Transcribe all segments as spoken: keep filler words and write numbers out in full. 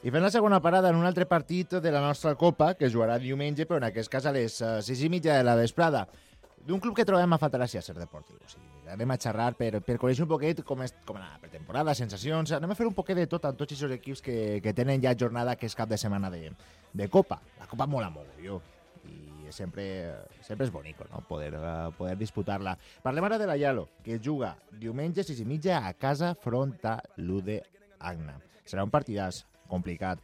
I fem la segona parada en un altre partit de la nostra Copa, que jugarà diumenge, però en aquest cas a les sis i mitja de la vesprada, d'un club que trobem a faltar a Ser Deportiu. O sigui, anem a xerrar per, per conèixer un poquet com, és, com anar la pretemporada, sensacions, anem a fer un poquet de tot amb tots aquests equips que, que tenen ja jornada que és cap de setmana de, de Copa. La Copa mola molt, jo. I sempre, sempre és bonic, no? Poder, uh, poder disputar-la. Parlem ara de la Yalo, que juga diumenge sis i mitja a casa front a l'U D Agna. Serà un partidàs complicat,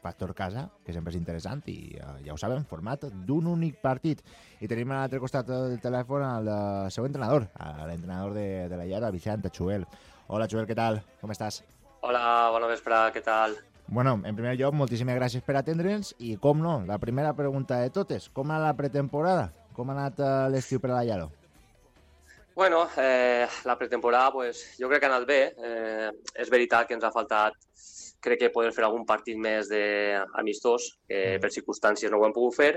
factor casa, que sempre és interessant, i uh, ja ho sabem, format d'un únic partit. I tenim a l'altre costat del telèfon el uh, seu entrenador, l'entrenador de, de la Yalo, Vicent Chuel. Hola, Chuel, què tal? Com estàs? Hola, bona vespre, què tal? Bueno, en primer lloc, moltíssimes gràcies per atendre'ns i, com no, la primera pregunta de totes, com ha anat la pretemporada? Com ha anat uh, l'estiu per a la Yalo? Bueno, eh, la pretemporada pues, jo crec que ha anat bé. Eh, és veritat que ens ha faltat, crec que poder fer algun partit més d'amistós, que per circumstàncies no ho hem pogut fer,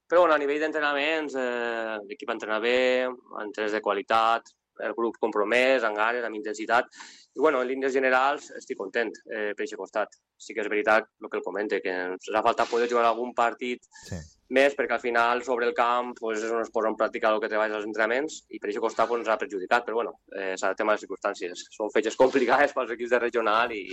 però bueno, a nivell d'entrenaments eh, l'equip entrena bé, entrens de qualitat, el grup compromès, amb ganes, amb intensitat, i bueno, en línies generals estic content eh, per aquest costat. Sí que és veritat el que el comente, que ens ha faltat poder jugar algun partit sí. més, perquè al final sobre el camp pues, és on es posa en pràctica el que treballes als entrenaments, i per aquest costat pues, ens ha perjudicat, però bueno, eh, s'adaptem a les circumstàncies. Són fetges complicades pels equips de regional i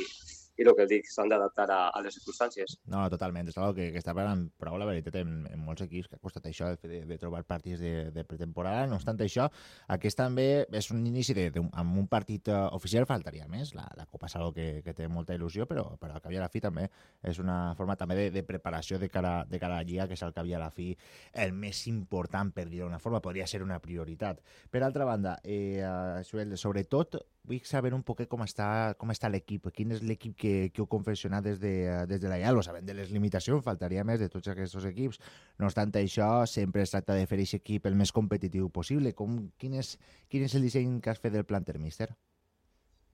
i el que dic, s'han d'adaptar a, a les circumstàncies. No, totalment. És una que, que està parlant prou la veritat en, en molts equips que ha costat això de, de trobar partits de, de pretemporada. No obstant això, aquest també és un inici de, de, amb un partit uh, oficial, faltaria més. La, la Copa és una que, que té molta il·lusió, però, però al cap i a la fi també és una forma també de, de preparació de cara, de cara a la Lliga, que és al cap i a la fi el més important, per dir-ho d'una forma, podria ser una prioritat. Per altra banda, eh, sobretot, vull saber un poquet com està, com està l'equip, quin és l'equip que, que heu confeccionat des de, des de la Yalo, sabent de les limitacions, faltaria més de tots aquests equips. No obstant això, sempre es tracta de fer aquest equip el més competitiu possible. Com, quin, és, quin és el disseny que has fet del planter, míster?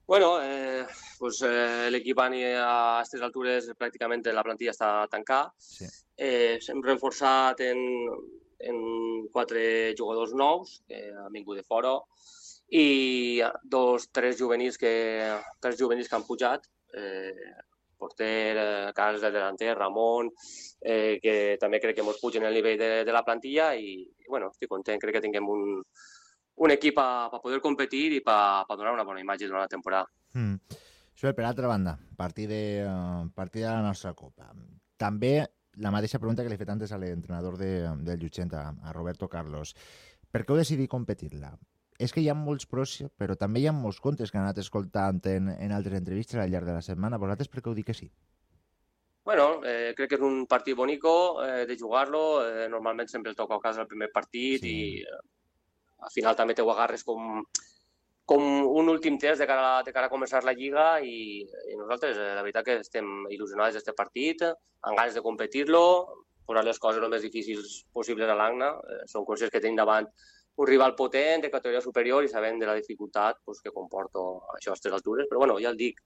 Bueno, eh, pues, eh, l'equip a aquestes altures pràcticament la plantilla està tancada. Sí. Eh, hem reforçat en, en quatre jugadors nous que han vingut de fora, i dos, tres juvenils que, tres juvenils que han pujat, eh, porter, eh, Carles del delanter, Ramon, eh, que també crec que ens pugen el nivell de, de la plantilla i, i bueno, estic content, crec que tinguem un, un equip per poder competir i per donar una bona imatge durant la temporada. Mm. Això, per altra banda, partir de, uh, partir de la nostra Copa. També la mateixa pregunta que li he fet antes a l'entrenador de, del Llutxent, a, a Roberto Carlos. Per què heu decidit competir-la? És que hi ha molts pros, però també hi ha molts contres que han anat escoltant en, en altres entrevistes al llarg de la setmana. Vosaltres per què heu dit que sí? Bueno, eh, crec que és un partit bonico eh, de jugar-lo. Eh, normalment sempre el toca a casa el primer partit sí. i eh, al final també te ho agarres com, com un últim test de cara, de cara a començar la Lliga i, i nosaltres, eh, la veritat que estem il·lusionats d'aquest partit, amb ganes de competir-lo, posar les coses el més difícils possibles a l'Agna. Eh, som conscients que tenim davant un rival potent, de categoria superior, i sabem de la dificultat pues, que comporta això a aquestes altures. Però bueno, ja el dic,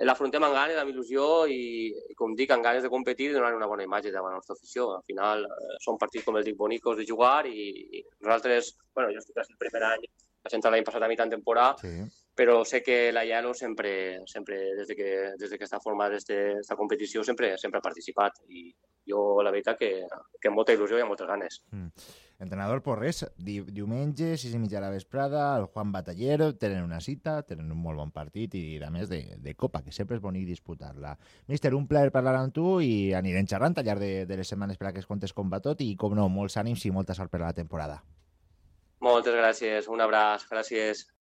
l'afrontem amb ganes, amb il·lusió i, i com dic, amb ganes de competir i donar una bona imatge davant la nostra afició. Al final eh, són partits, com el dic, bonicos de jugar i, i nosaltres, bueno, jo estic el primer any, vaig entrar l'any passat a mitjan temporada, sí. però sé que la Yalo sempre, sempre des, de que, des de que està formada aquesta competició, sempre, sempre ha participat i jo la veritat que, que amb molta il·lusió i amb moltes ganes. Mm. Entrenador Porres, di diumenge, sis i mitja a la vesprada, el Juan Batallero, tenen una cita, tenen un molt bon partit i a més de, de Copa, que sempre és bonic disputar-la. Míster, un plaer parlar amb tu i anirem xerrant al llarg de, de les setmanes per a que es contes com va tot i, com no, molts ànims i molta sort per a la temporada. Moltes gràcies, un abraç, gràcies.